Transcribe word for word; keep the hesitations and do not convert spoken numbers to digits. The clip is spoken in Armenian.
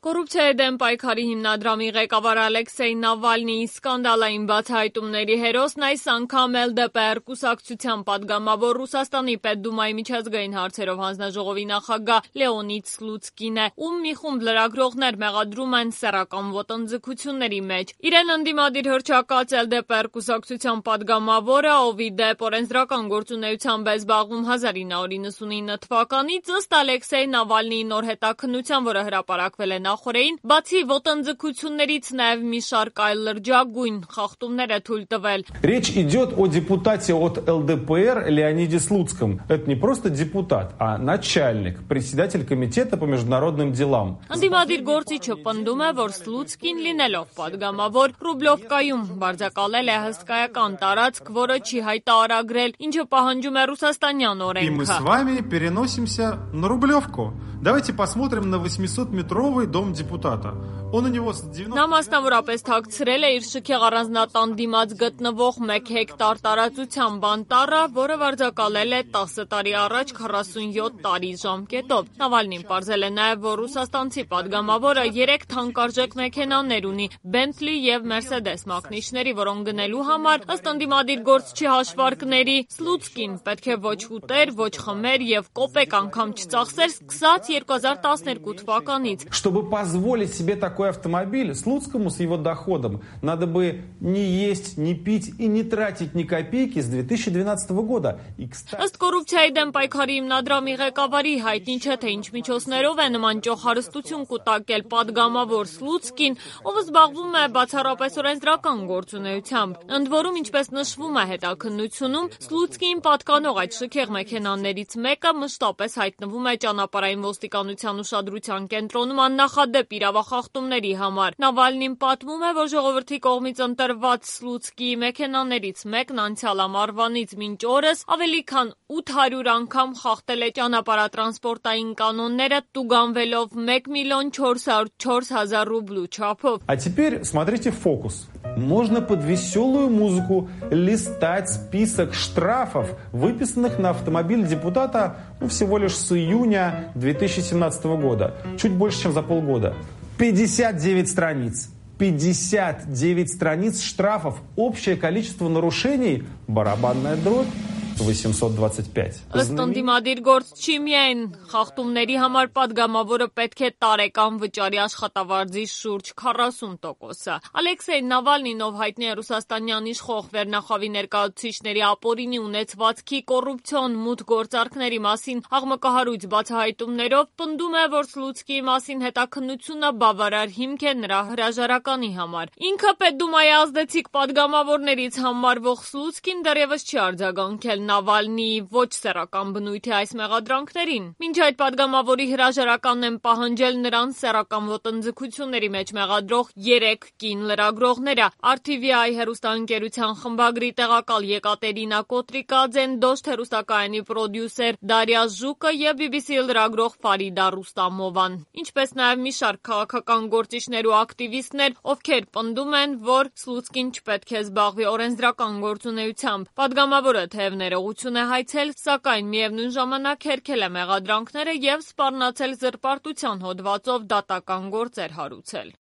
Կոռուպցիայի դեմ պայքարի հիմնադրամի ղեկավար Ալեքսեյ Նավալնիի սկանդալային բացահայտումների հերոսն այս անգամ էլ դե պե er կուսակցության պատգամավոր Ռուսաստանի Պետդումայի միջազգային հարցերով հանձնաժողովի նախագահ Լեոնիդ Սլուցկին է, ում մի խումբ լրագրողներ մեղադրում են սեռական ոտնձգությունների մեջ։ Իրեն ընդդիմադիր հռչակած էլ դե պե er կուսակցության պատգամավորը, ով ի դեպ օրենսդրական գործունեությամբ է զբաղվում հազար ինը հարյուր նվաթ թվականից, ըստ Ալեքսեյ Նավալնիի նոր հետաքննության, որը հրապարակվել է նախորդին, բացի ոտնձգություններից նաև մի շարք այլ լրջագույն խախտումներ է թույլ տվել։ Речь идет о депутате от эл дэ пэ эр Леониде Слуцком. Это не просто депутат, а начальник, председатель комитета по международным делам. Ընդդիմադիր գործիչը պնդում է, որ Սլուցկին լինելով պատգամավոր Ռուբլովկայում բարձակալել է հսկայական տարածք, որը չի հայտարարագրել, ինչը պահանջում է ռուսաստանյան օրենքը։ И мы с вами переносимся на Рублевку. Давайте посмотрим на восьмисотметровый дом депутата. Он у него с девяносто... Նա մասնավորապես թաքցրել է իր շքեղ առանձնատան դիմաց գտնվող մեկ հեկտար տարածության բանտառը, որը վարձակալել է տասը տարի առաջ քառասունյոթ տարի ժամկետով։ Նավալնին պարզել է նաև, որ ռուսաստանցի պատգամավորը երեք թանկարժեք մեքենաներ ունի՝ Bentley և Mercedes մակնիշների, որոնք գնելու համար, ըստ ընդդիմադիր գործչի հաշվարկների, Սլուցկին պետք է ոչ ուտեր, ոչ խմեր և կոպեկ անգամ չծախսեր սկսած երկու հազար տասներկու թվականից։ Чтобы позволить себе такой автомобиль, Слуцкому с его доходом надо бы не есть, не пить и не тратить ни копейки с две тысячи двенадцатого года. Ըստ կոռուպցիայի դեմ պայքարի հիմնադրամի ղեկավարի հայտնի չէ, թե ինչ միջոցներով է նման ճոխ հարստություն կուտակել պատգամավոր Սլուցկին, ով զբաղվում է բացառապես օրենսդրական գործունեությամբ։ Ընդ որում, ինչպես նշվում է հետաքննությունում, Սլուցկիին պատկանող այդ շքեղ մեքենաներից մեկը մշտապես հայտնվում է ճանապարհային ոստիկանության ուշադրության կենտրոնում աննախադեպ իրավախախտումների համար։ Նավալնին պատմում է, որ ժողովրդի կողմից ընտրված Սլուցկիի մեքենաներից մեկն անցյալ ամառվանից մինչ օրս ավելի քան ութ հարյուր անգամ խախտել է ճանապարհատրանսպորտային կանոնները, տուգանվելով մեկ միլիոն չորս հարյուր չորս հազար ռուբլու չափով։ А теперь смотрите фокус. Можно под веселую музыку листать список штрафов, выписанных на автомобиль депутата ну, всего лишь с июня две тысячи семнадцатого года. Чуть больше, чем за полгода. пятьдесят девять страниц. пятьдесят девять страниц штрафов. Общее количество нарушений – барабанная дробь. восемьсот двадцать пять. Ըստ ընդդիմադիր գործչի միայն խախտումների համար պատգամավորը պետք է տարեկան վճարի աշխատավարձի շուրջ քառասուն տոկոսը։ Ալեքսեյ Նավալնին, ով հայտնի է ռուսաստանյան իշխող վերնախավի ներկայացուցիչների ապօրինի ունեցվածքի, կոռուպցիոն մութ գործարքների մասին աղմկահարույց բացահայտումներով, պնդում է, որ Սլուցկիի մասին հետաքննությունը բավարար հիմք է նրա հրաժարականի համար։ Ինքը Պետդումայի ազդեցիկ պատգամավորներից համարվող Սլուցկին դեռևս չի արձագանքել Նավալնիի ոչ սեռական բնույթի այս մեղադրանքներին։ Մինչ այդ պատգամավորի հրաժարականն են պահանջել նրան սեռական ոտնձգությունների մեջ մեղադրող երեք կին լրագրողները՝ Ար Թի Վի Այ հեռուստաընկերության խմբագրի տեղակալ Եկատերինա Կոտրիկաձեն, Դոշտ հեռուստակայանի պրոդյուսեր Դարիա Ժուկը և Բի Բի Սի լրագրող Ֆարիդա Ռուստամովան, ինչպես նաև մի շարք քաղաքական գործիչներ ու ակտիվիստներ, ովքեր պնդում են, որ Սլուցկին չպետք է զբաղվի օրենսդրական գործունեությամբ։ Պատգամավորը թեև ներողություն է հայցել, սակայն միևնույն ժամանակ հերքել է մեղադրանքները և սպառնացել զրպարտության հոդվածով դատական գործեր հարուցել։